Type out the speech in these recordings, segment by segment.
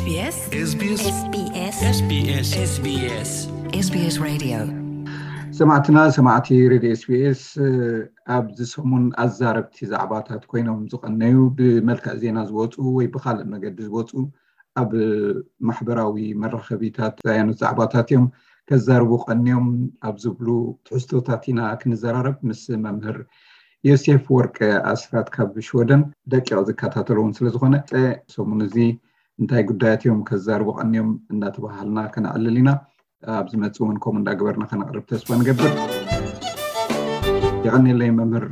SBS SBS SBS SBS SBS Radio. ሰማዕትና ሰማዕቲ ሬድዮ ኤስቢኤስ ኣብዚ ሰሙን ኣዛረብቲ ዛዕባታት ኮይኖም ዝቐነዩ ብመልክዕ ዜና ዝወፁ ወይ ብካልእ መገዲ ዝወፁ ኣብ ማሕበራዊ መራኸቢታት ዝዛየኑ ዛዕባታት እዮም ከዛርቡ ቀንዮም ኣብ ዝብሉ ትሕዝቶታት ኢና ክንዘራረብ ምስ መምህር ዮሴፍ ወርቀ ኣስራት ካብ ሽወደን ደቂቕ ዝከታተሎ እውን ስለዝኾነ ሰሙን እዚ እንታይ ጉዳያት እዮም ከዛርቡ ቀንዮም እንዳተባሃልና ከነዕልል ኢና። ኣብ ዝመፅእ እውን ከምኡ እንዳገበርና ከነቕርብ ተስፋ ንገብር። የቐንየለይ መምህር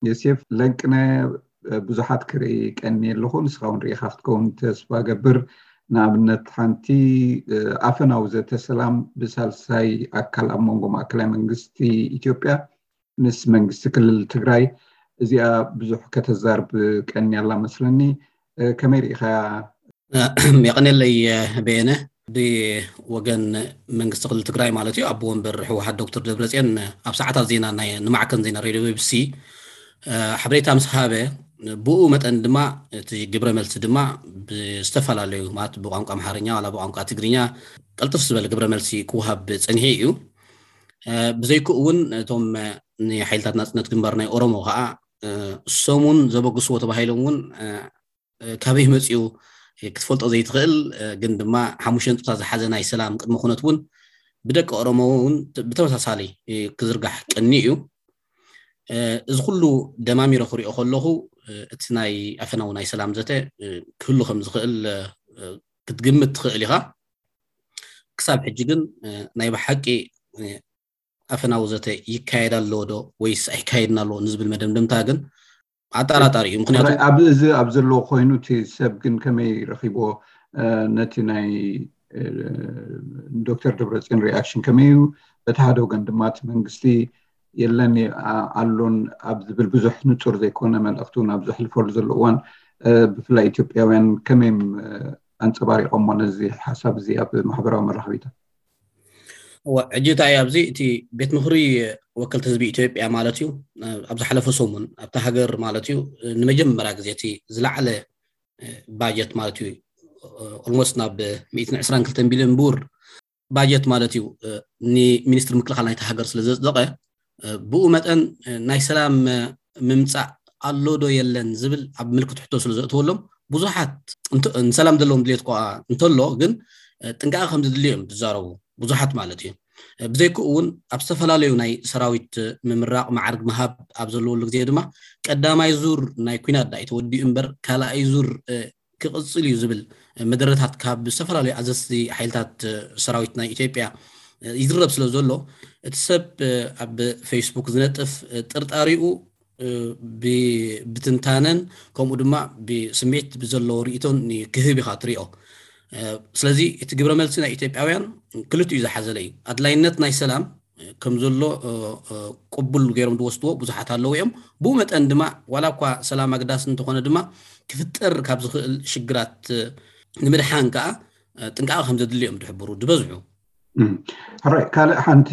ዮሴፍ። ለንቅነ ብዙሓት ክርኢ ቀኒ ኣለኹ፣ ንስኻ እውን ርኢኻ ክትከውን ተስፋ ገብር። ንኣብነት ሓንቲ ኣፈናዊ ዘተ ሰላም ብሳልሳይ ኣካል ኣብ መንጎ ማእከላይ መንግስቲ ኢትዮጵያ ምስ መንግስቲ ክልል ትግራይ እዚኣ ብዙሕ ከተዛርብ ቀኒ ኣላ መስለኒ። ከመይ ርኢኻያ? የቐንየለይ በየነ። ብወገን መንግስቲ ክልል ትግራይ ማለት እዩ ኣቦ ወንበር ህወሓት ዶክተር ደብረፅዮን ኣብ ሰዓታት ዜና ናይ ንማዕከን ዜና ሬድዮ ቢቢሲ ሓበሬታ ምስ ሃበ ብኡ መጠን ድማ እቲ ግብረ መልሲ ድማ ብዝተፈላለዩ ማለት ብቋንቋ ኣምሓርኛ ዋላ ብቋንቋ ትግርኛ ቀልጥፍ ዝበለ ግብረ መልሲ ክወሃብ ፀኒሑ እዩ። ብዘይክኡ እውን እቶም ንሓይልታት ናፅነት ግንባር ናይ ኦሮሞ ከዓ ሰሙን ዘበግስዎ ተባሂሎም እውን ካበይ መፅኡ ክትፈልጦ ዘይትኽእል ግን ድማ ሓሙሽተ ነጥብታት ዝሓዘ ናይ ሰላም ቅድመ ኩነት እውን ብደቂ ኦሮሞ እውን ብተመሳሳሊ ክዝርጋሕ ቀኒ እዩ። እዚ ኩሉ ደማሚረ ክሪኦ ከለኹ እቲ ናይ ኣፈናዊ ናይ ሰላም ዘተ ክህሉ ከም ዝኽእል ክትግምት ትኽእል ኢኻ። ክሳብ ሕጂ ግን ናይ ብሓቂ ኣፈናዊ ዘተ ይካየድ ኣሎ ዶ ወይስ ኣይካየድን ኣሎ ንዝብል መደምደምታ ግን ኣጠራጣሪ እዩ። ምክንያቱ ኣብ እዚ ኣብ ዘለዎ ኮይኑ እቲ ሰብ ግን ከመይ ረኺብዎ? ነቲ ናይ ዶክተር ደብረፅዮን ሪኣክሽን ከመይ እዩ? በቲ ሓደ ወገን ድማ እቲ መንግስቲ የለን ኣሎን ኣብ ዝብል ብዙሕ ንፁር ዘይኮነ መልእኽቲ እውን ኣብ ዘሕልፈሉ ዘሎ እዋን ብፍላይ ኢትዮጵያውያን ከመይ ኣንፀባሪቆሞ ነዚ ሓሳብ እዚ ኣብ ማሕበራዊ መራኸቢታት? እወ፣ ሕጂ እንታይ እዩ ኣብዚ እቲ ቤት ምኽሪ ወከልቲ ህዝቢ ኢትዮጵያ ማለት እዩ ኣብ ዝሓለፈ ሰሙን ኣብታ ሃገር ማለት እዩ ንመጀመርያ ግዜ እቲ ዝለዓለ ባጀት ማለት እዩ ኦልሞስት ናብ ሚእትን ዕስራን ክልተን ቢልዮን ብር ባጀት ማለት እዩ ንሚኒስትሪ ምክልኻል ናይቲ ሃገር ስለ ዘፅደቐ ብኡ መጠን ናይ ሰላም ምምፃእ ኣሎ ዶ የለን ዝብል ኣብ ምልክት ሕቶ ስለ ዘእተወሎም ብዙሓት ንሰላም ዘለዎም ድሌት ከ እንተሎ ግን ጥንቃቐ ከም ዝድልዮ እዮም ዝዛረቡ ብዙሓት ማለት እዩ። ብዘይክኡ እውን ኣብ ዝተፈላለዩ ናይ ሰራዊት ምምራቕ ማዕርግ ምሃብ ኣብ ዘለወሉ ግዜ ድማ ቀዳማይ ዙር ናይ ኩናት ዳኣ ተወዲኡ እምበር ካልኣይ ዙር ክቕፅል እዩ ዝብል መደረታት ካብ ዝተፈላለዩ ኣዘዝቲ ሓይልታት ሰራዊት ናይ ኢትዮጵያ ይዝረብ ስለ ዘሎ እቲ ሰብ ኣብ ፌስቡክ ዝነጥፍ ጥርጣሪኡ ብትንታነን ከምኡ ድማ ብስምዒት ብዘለዎ ርእቶን ክህብ ኢኻ ትሪኦ። ስለዚ እቲ ግብረ መልሲ ናይ ኢትዮጵያውያን ክልቲኡ ዝሓዘለ እዩ። ኣድላይነት ናይ ሰላም ከም ዘሎ ቅቡል ገይሮም ዝወስድዎ ብዙሓት ኣለዉ እዮም። ብኡ መጠን ድማ ዋላ እኳ ሰላም ኣግዳሲ እንተኾነ ድማ ክፍጠር ካብ ዝኽእል ሽግራት ንምድሓን ከዓ ጥንቃቐ ከም ዘድሊ እዮም ዝሕብሩ ዝበዝሑ። ሕራይ ካልእ ሓንቲ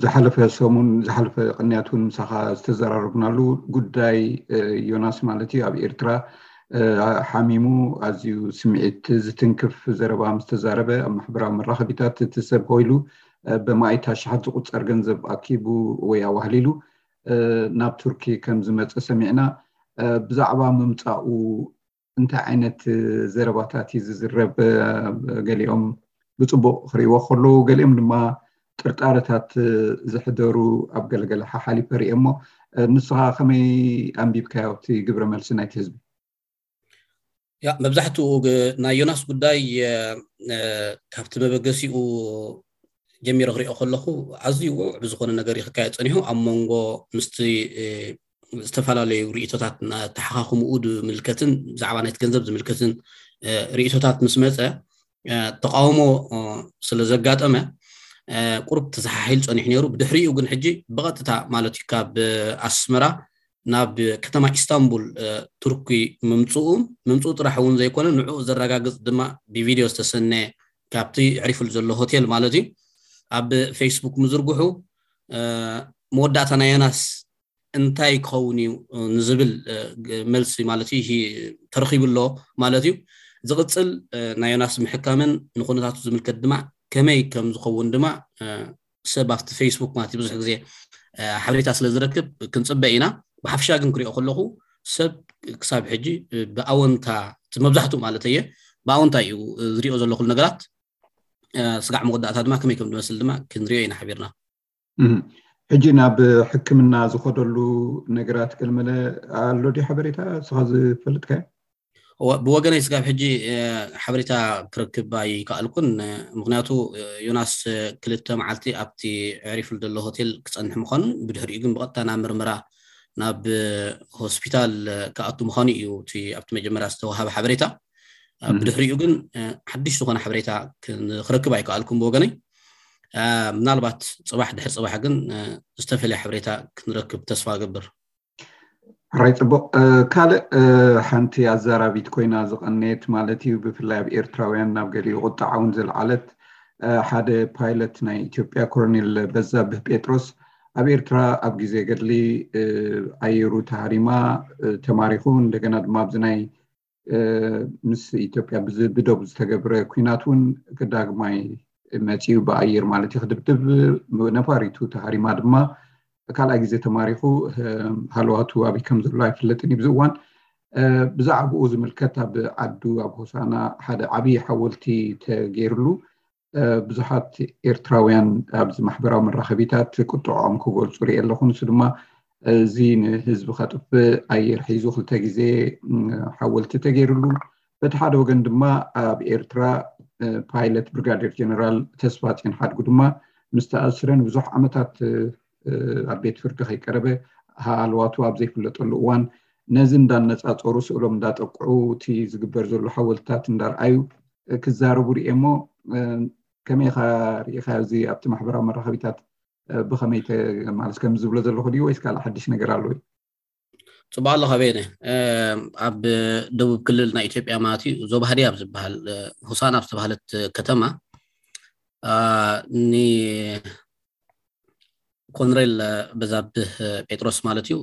ዝሓለፈ ሰሙን ዝሓለፈ ቅንያት እውን ምሳኻ ዝተዘራረብናሉ ጉዳይ ዮናስ ማለት እዩ ኣብ ኤርትራ ሓሚሙ ኣዝዩ ስምዒት ዝትንክፍ ዘረባ ምስ ተዛረበ ኣብ ማሕበራዊ መራኸቢታት እቲ ሰብ ኮይሉ ብማእት ኣሽሓት ዝቁጸር ገንዘብ ኣኪቡ ወይ ኣዋህሊሉ ናብ ቱርኪ ከም ዝመጸ ሰሚዕና። ብዛዕባ ምምጻኡ እንታይ ዓይነት ዘረባታት እዩ ዝዝረብ? ገሊኦም ብፅቡቕ ክርእይዎ ከለዉ ገሊኦም ድማ ጥርጣረታት ዝሕደሩ ኣብ ገለገለ ሓሓሊፈ ርእየ እሞ ንስኻ ከመይ ኣንቢብካዮ እቲ ግብረ መልሲ ናይቲ ህዝቢ? ያ መብዛሕትኡ ግ- ናይ ዮናስ ጉዳይ እ፣ እ፣ ካብቲ መበገሲኡ ጀሚረ ክሪኦ ከለኹ ኣዝዩ ውዕ ብዝኾነ ነገር እዩ ክካየድ ፀኒሑ ኣብ መንጎ ምስቲ እ፣ ዝተፈላለዩ ርእቶታት እናተሓኻኹምኡ ዝምልከትን ብዛዕባ ናይቲ ገንዘብ ዝምልከትን እ፣ ርእቶታት ምስ መፀ እ፣ ተቃውሞ እ፣ ስለ ዘጋጠመ እ፣ ቁሩብ ተዘሓሒሉ ፀኒሑ ነይሩ። ብድሕሪኡ ግን ሕጂ ብቐጥታ ማለት እዩ ካብ እ፣ ኣስመራ ናብ ከተማ ኢስታንቡል እ፣ ቱርኪ ምምፅኡ ምምፅኡ ጥራሕ እውን ዘይኮነ ንዕኡ ዘረጋግፅ ድማ ብቪድዮ ዝተሰነ ካብቲ ዕሪፉሉ ዘሎ ሆቴል ማለት እዩ ኣብ ፌስቡክ ምዝርግሑ እ፣ መወዳእታ ናይ ዮናስ እንታይ ክኸውን እዩ እ፣ ንዝብል እ፣ ግ- መልሲ ማለት እዩ ሂ- ተረኺቡ ኣሎ ማለት እዩ። ዝቕፅል ናይ ዮናስ ምሕካምን ንኩነታቱ ዝምልከት ድማ ከመይ ከም ዝኸውን ድማ ሰብ ኣብቲ ፌስቡክ ማለት ብዙሕ ግዜ ሓበሬታ ስለ ዝረክብ ክንፅበ ኢና። ብሓፍሻ ግን ክሪኦ ከለኹ ሰብ ክሳብ ሕጂ ብኣወንታ፣ እቲ መብዛሕትኡ ማለት እየ፣ ብኣወንታ እዩ ዝሪኦ ዘሎ ኩሉ ነገራት። ስጋዕ መወዳእታ ድማ ከመይ ከም ዝመስል ድማ ክንሪኦ ኢና ሓቢርና። ሕጂ ናብ ሕክምና ዝኸደሉ ነገራት ከልመለ ኣሎ ድዩ ሓበሬታ እስኻ ዝፈልጥካዮ? ብወገነይ ስጋብ ሕጂ ሓበሬታ ክረክብ ኣይከኣልኩን። ምክንያቱ ዮናስ ክልተ መዓልቲ ኣብቲ ዕሪፍሉ ዘሎ ሆቴል ክፀንሕ ምዃኑን ብድሕሪኡ ግን ብቐጥታ ናብ ምርመራ ናብ ሆስፒታል ክኣቱ ምዃኑ እዩ እቲ ኣብቲ መጀመርያ ዝተዋሃበ ሓበሬታ። ብድሕሪኡ ግን ሓድሽ ዝኾነ ሓበሬታ ክረክብ ኣይከኣልኩም ብወገነይ። ምናልባት ፅባሕ ድሕሪ ፅባሕ ግን ዝተፈለየ ሓበሬታ ክንረክብ ተስፋ እገብር። ሕራይ ፅቡቕ። ካልእ ሓንቲ ኣዛራቢት ኮይና ዝቐነየት ማለት እዩ፣ ብፍላይ ኣብ ኤርትራውያን ናብ ገሊኡ ቁጣዓ እውን ዘልዓለት፣ ሓደ ፓይለት ናይ ኢትዮጵያ ኮሎኔል በዛብህ ጴጥሮስ ኣብ ኤርትራ ኣብ ግዜ ገድሊ ኣየሩ ተሃሪማ ተማሪኹ፣ እንደገና ድማ ኣብዚ ናይ ምስ ኢትዮጵያ ብደቡ ዝተገብረ ኩናት እውን ዳግማይ መፂኡ ብኣየር ማለት እዩ ክድብድብ፣ ነፋሪቱ ተሃሪማ ድማ ካልኣይ ግዜ ተማሪኹ ሃለዋቱ ኣበይ ከም ዘሎ ኣይፍለጥን እዩ። ብዚ እዋን ብዛዕባኡ ዝምልከት ኣብ ዓዱ ኣብ ሆሳና ሓደ ዓብዪ ሓወልቲ ተገይርሉ ብዙሓት ኤርትራውያን ኣብዚ ማሕበራዊ መራኸቢታት ቁጥዖም ክገልፁ ርኢ ኣለኹ። ንሱ ድማ እዚ ንህዝቢ ከጥፍእ ኣየር ሒዙ ክልተ ግዜ ሓወልቲ ተገይርሉ። በቲ ሓደ ወገን ድማ ኣብ ኤርትራ ፓይለት ብርጋዴር ጀነራል ተስፋ ፂን ሓድጉ ድማ ምስ ተኣስረ ንብዙሕ ዓመታት ኣብ ቤት ፍርዲ ከይቀረበ ሃለዋቱ ኣብ ዘይፍለጠሉ እዋን ነዚ እንዳነፃፀሩ ስእሎም እንዳጠቅዑ እቲ ዝግበር ዘሎ ሓወልትታት እንዳርኣዩ ክዛረቡ ርኤ እሞ ከመይ ኢኻ ርኢኻ እዚ ኣብቲ ማሕበራዊ መራኸቢታት ብኸመይ ማለት ከም ዝብሎ ዘለኹ ድዩ ወይስ ካልእ ሓድሽ ነገር ኣሎ? ፅቡቅ ኣለኻ ቤነ። ኣብ ደቡብ ክልል ናይ ኢትዮጵያ ማለት እዩ ዞባ ሃዲያ ኣብ ዝበሃል ሆሳና ኣብ ዝተባሃለት ከተማ ንኮንሬል በዛብህ ጴጥሮስ ማለት እዩ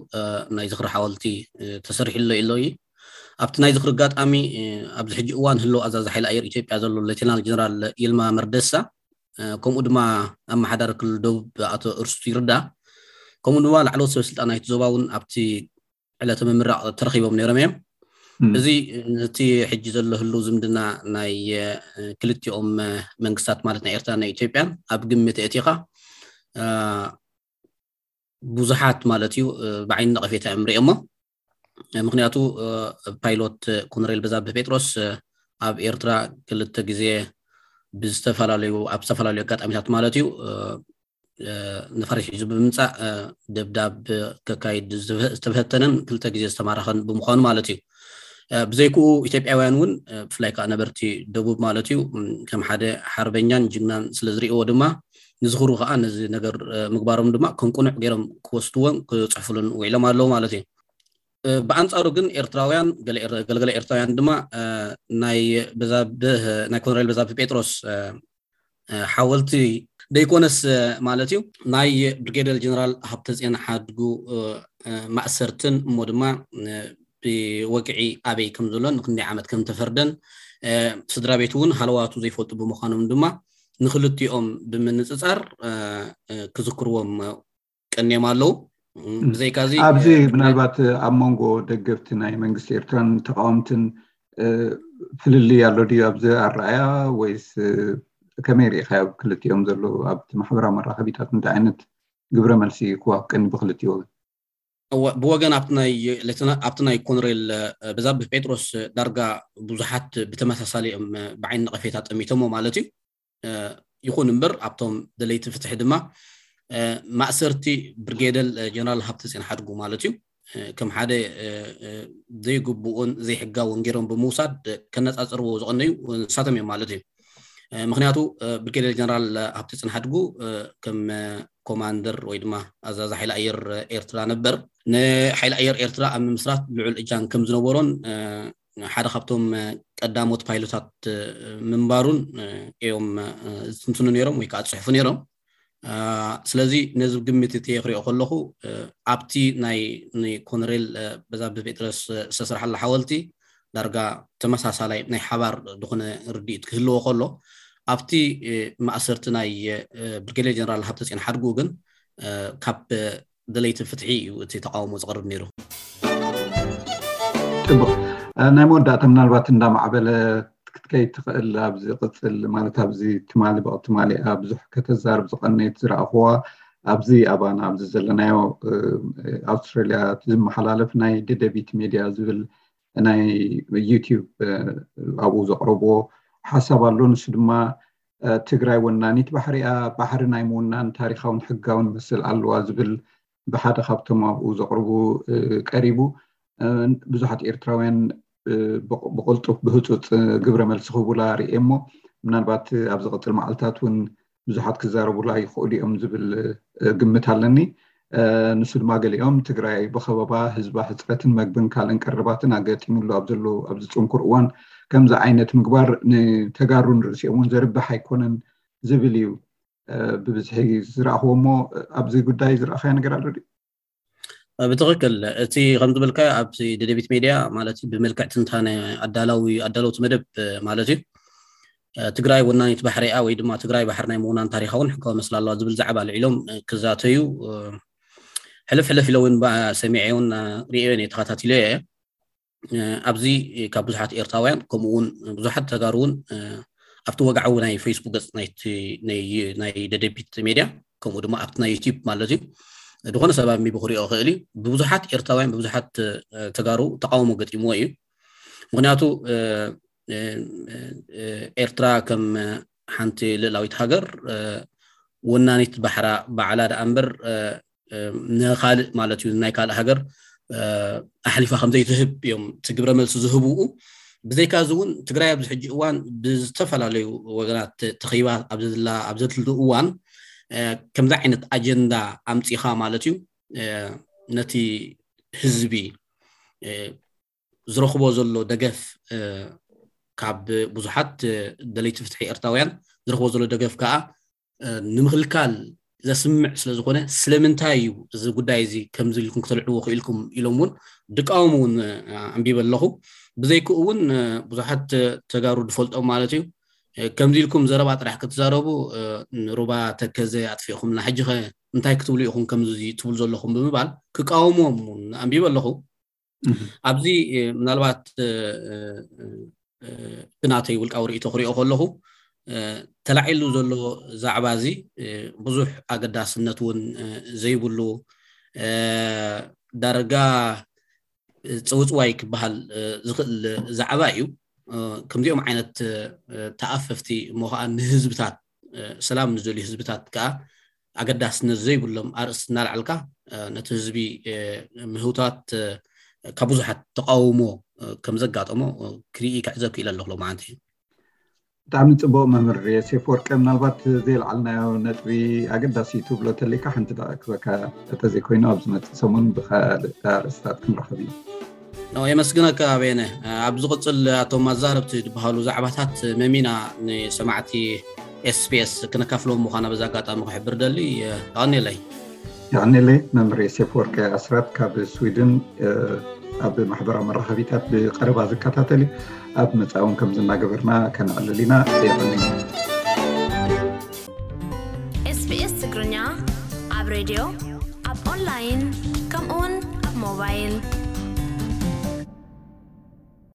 ናይ ዝኽሪ ሓወልቲ ተሰሪሕሎ ኢሎ እዩ። ኣብቲ ናይ ዝኽሪ ኣጋጣሚ ኣብዚ ሕጂ እዋን ህልው ኣዛዚ ሓይሊ ኣየር ኢትዮጵያ ዘሎ ሌተናል ጀነራል ይልማ መርደሳ ከምኡ ድማ ኣመሓዳሪ ክልል ደቡብ ኣቶ እርስቱ ይርዳ ከምኡ ድማ ላዕለዎት ሰበ ስልጣን ናይቲ ዞባ እውን ኣብቲ ዕለተ ምምራቕ ተረኺቦም ነይሮም እዮም። እዚ ነቲ ሕጂ ዘሎ ህልው ዝምድና ናይ ክልቲኦም መንግስታት ማለት ናይ ኤርትራ ናይ ኢትዮጵያን ኣብ ግምት ኣእቲኻ ብዙሓት ማለት እዩ ብዓይኒ ነቐፌታ እዮም ሪኦሞ። ምክንያቱ ፓይሎት ኮሎኔል በዛብህ ጴጥሮስ ኣብ ኤርትራ ክልተ ግዜ ብዝተፈላለዩ ኣብ ዝተፈላለዩ ኣጋጣሚታት ማለት እዩ ነፋሪት ሒዙ ብምምፃእ ደብዳብ ከካይድ ዝተፈተነን ክልተ ግዜ ዝተማረኸን ብምዃኑ ማለት እዩ። ብዘይክኡ ኢትዮጵያውያን እውን ብፍላይ ከዓ ነበርቲ ደቡብ ማለት እዩ ከም ሓደ ሓርበኛን ጅግናን ስለ ዝርእዎ ድማ ንዝኽሩ ከዓ ነዚ ነገር ምግባሮም ድማ ከም ቁኑዕ ገይሮም ክወስድዎን ክፅሕፉሉን ውዒሎም ኣለዉ ማለት እዩ። ብኣንፃሩ ግን ኤርትራውያን ገለገለ ኤርትራውያን ድማ ናይ በዛብህ ናይ ኮሎኔል በዛብህ ጴጥሮስ ሓወልቲ ደይኮነስ ማለት እዩ ናይ ብሪጌደር ጀነራል ሃብተፅዮን ሓድጉ ማእሰርትን እሞ ድማ ብወግዒ ኣበይ ከም ዘሎ ንክንደይ ዓመት ከም ተፈርደን ስድራ ቤት እውን ሃለዋቱ ዘይፈልጡ ብምዃኖም ድማ ንክልቲኦም ብምንፅፃር ክዝክርዎም ቀንዮም ኣለዉ። ብዘይካዚ ኣብዚ ምናልባት ኣብ መንጎ ደገፍቲ ናይ መንግስቲ ኤርትራን ተቃወምትን ፍልልይ ኣሎ ድዩ ኣብዚ ኣረኣያ ወይስ ከመይ ርኢኻዮ? ኣብ ክልቲኦም ዘለዉ ኣብቲ ማሕበራዊ መራኸቢታት እንታይ ዓይነት ግብረ መልሲ ክዋሃብ ቀኒ ብክልቲኡ ወገን? ብወገን ኣብቲ ናይ ኮሎኔል በዛብህ ጴጥሮስ ዳርጋ ብዙሓት ብተመሳሳሊ እዮም ብዓይኒ ነቐፌታ ጠሚቶሞ ማለት እዩ። ይኹን እምበር ኣብቶም ደለይቲ ፍትሒ ድማ ማእሰርቲ ብርጌደል ጀነራል ሃብተፅዮን ሓድጉ ማለት እዩ ከም ሓደ ዘይግብኡን ዘይሕጋውን ገይሮም ብምውሳድ ከነፃፅርዎ ዝቐነዩ ንሳቶም እዮም ማለት እዩ። ምክንያቱ ብርጌደር ጀነራል ሃብተፅዮን ሓድጉ ከም ኮማንደር ወይ ድማ ኣዛዚ ሓይሊ ኣየር ኤርትራ ነበር ንሓይሊ ኣየር ኤርትራ ኣብ ምምስራት ልዑል እጃም ከም ዝነበሮን ሓደ ካብቶም ቀዳሞት ፓይሎታት ምንባሩን እዮም ዝትንትኑ ነይሮም ወይ ከዓ ዝፅሕፉ ነይሮም። ስለዚ ነዚ ግምት እቲ ክሪኦ ከለኹ ኣብቲ ናይ ኮሎኔል በዛብህ ጴጥሮስ ዝተሰርሓሉ ሓወልቲ ዳርጋ ተመሳሳላይ ናይ ሓባር ዝኾነ ርድኢት ክህልዎ ከሎ፣ ኣብቲ ማእሰርቲ ናይ ብርጌዴር ጀነራል ሃብተፅዮን ሓድጉ ግን ካብ ደለይቲ ፍትሒ እዩ እቲ ተቃውሞ ዝቐርብ ነይሩ። ፅቡቅ። ናይ መወዳእታ ምናልባት እንዳማዕበለ ክትከይ ትኽእል ኣብዚ ቅፅል ማለት ኣብዚ ትማሊ ብቅ ትማሊ ብዙሕ ከተዛርብ ዝቀነየት ዝረኣኽዋ ኣብዚ ኣባና ኣብዚ ዘለናዮ ኣውስትራሊያ ዝመሓላለፍ ናይ ደደቢት ሜድያ ዝብል ናይ ዩቲዩብ ኣብኡ ዘቅረብዎ ሓሳብ ኣሎ። ንሱ ድማ ትግራይ ወናኒት ባሕሪያ ባሕሪ ናይ ምውናን ታሪካውን ሕጋውን መስል ኣለዋ ዝብል ብሓደ ካብቶም ኣብኡ ዘቅርቡ ቀሪቡ። ብዙሓት ኤርትራውያን ብቕልጡፍ ብህፁፅ ግብረ መልሲ ክህቡላ ርእየ እሞ ምናልባት ኣብ ዝቕፅል መዓልታት እውን ብዙሓት ክዛረቡላ ይኽእሉ እዮም ዝብል ግምት ኣለኒ። ንሱ ድማ ገሊኦም ትግራይ ብኸበባ ህዝባ ሕፅረትን መግብን ካልእን ቀረባትን ኣገጢሙሉ ኣብ ዘሎ ኣብዚ ፅንኩር እዋን ከምዚ ዓይነት ምግባር ንተጋሩ ንርእሲኦም እውን ዘርብሕ ኣይኮነን ዝብል እዩ ብብዝሒ ዝረኣኽዎ። እሞ ኣብዚ ጉዳይ ዝረኣኻዮ ነገር ኣሎ ድዩ? ብትኽክል እቲ ከም ዝበልካዮ ኣብዚ ደደቢት ሜድያ ማለት እዩ ብመልክዕ ትንታነ ኣዳላዊ ኣዳለውቲ መደብ ማለት እዩ ትግራይ ወናኒት ባሕሪኣ ወይ ድማ ትግራይ ባሕሪ ናይ ምውናን ታሪካውን ሕጋዊ መስላ ኣለዋ ዝብል ዛዕባ ኣልዒሎም ክዛተዩ ሕልፍ ሕልፍ ኢለ እውን ሰሚዐ እውን ርእዮን እየ ተኸታቲለ እየ። ኣብዚ ካብ ብዙሓት ኤርትራውያን ከምኡ እውን ብዙሓት ተጋሩ እውን ኣብቲ ወግዓዊ ናይ ፌስቡክ ገፅ ናይ ደደቢት ሜድያ ከምኡ ድማ ኣብቲ ናይ ዩቲዩብ ማለት እዩ ዝኾነ ሰብ ኣሚቡ ክሪኦ ክእል እዩ። ብብዙሓት ኤርትራውያን ብብዙሓት ተጋሩ ተቃውሞ ገጢምዎ እዩ። ምክንያቱ ኤርትራ ከም ሓንቲ ልእላዊት ሃገር ወናኒት ባሕራ ባዕላ ደኣ እምበር ንካልእ ማለት እዩ ናይ ካልእ ሃገር ኣሕሊፋ ከምዘይትህብ እዮም እቲ ግብረ መልሲ ዝህብኡ። ብዘይካ እዚ እውን ትግራይ ኣብዚ ሕጂ እዋን ብዝተፈላለዩ ወገናት ተኺባ ኣብ ዘድላ ኣብ ዘድልዱ እዋን ከምዚ ዓይነት ኣጀንዳ ኣምፂኻ ማለት እዩ ነቲ ህዝቢ ዝረኽቦ ዘሎ ደገፍ ካብ ብዙሓት ደለይቲ ፍትሒ ኤርትራውያን ዝረኽቦ ዘሎ ደገፍ ከዓ ንምኽልካል ዘስምዕ ስለዝኾነ ስለምንታይ እዩ እዚ ጉዳይ እዚ ከምዚ ኢልኩም ክተልዕዎ ክኢልኩም ኢሎም እውን ድቃወሙ እውን ኣንቢበ ኣለኹ። ብዘይክኡ እውን ብዙሓት ተጋሩ ዝፈልጦም ማለት እዩ ከምዚ ኢልኩም ዘረባ ጥራሕ ክትዛረቡ ንሩባ ተከዘ ኣጥፊእኹምና ሕጂ ኸ እንታይ ክትብሉ ኢኹም ከምዚ ትብሉ ዘለኹም ብምባል ክቃወሞም እውን ኣንቢበ ኣለኹ። ኣብዚ ምናልባት ብናተይ ውልቃዊ ርእይቶ ክሪኦ ከለኹ ተላዒሉ ዘሎ ዛዕባ እዚ ብዙሕ ኣገዳስነት እውን ዘይብሉ ዳርጋ ፅውፅዋይ ክበሃል ዝኽእል ዛዕባ እዩ። ከምዚኦም ዓይነት ተኣፈፍቲ እሞ ከዓ ንህዝብታት ሰላም ንዝደልዩ ህዝብታት ከዓ ኣገዳስነት ዘይብሎም ኣርእስቲ እናልዓልካ ነቲ ህዝቢ ምህውታት ካብ ብዙሓት ተቃውሞ ከም ዘጋጠሞ ክርኢ ክዕዘብ ክኢለ ኣለኹ ሎማዓንቲ። ብጣዕሚ ፅቡቅ መምህር ዮሴፍ ወርቀ፣ ምናልባት ዘየልዓልናዮ ነጥቢ ኣገዳሲ ትብሎ ተሊካ ሓንቲ ደቂ ክበካ እንተዘይኮይኑ ኣብ ዝመፅእ ሰሙን ብካልእ ኣርእስታት ክንረኸብ እዩ። የመስግነካ ኣበየነ። ኣብ ዝቕፅል ኣቶም ኣዛረብቲ ዝበሃሉ ዛዕባታት መሚና ንሰማዕቲ ኤስቢኤስ ክነካፍሎም ምዃና በዚ ኣጋጣሚ ክሕብር ደሊ። የቐንየለይ። የቐንየለይ። መምህር ዮሴፍ ወርቀ ኣስራት ካብ ስዊድን ኣብ ማሕበራዊ መራኸቢታት ብቀረባ ዝከታተል እዩ። ኣብ መፃእውን ከም ዝናገበርና ከነዕልል ኢና። የቐንየለይ። ኤስቢኤስ ትግርኛ ኣብ ሬድዮ ኣብ ኦንላይን ከምኡውን ኣብ ሞባይል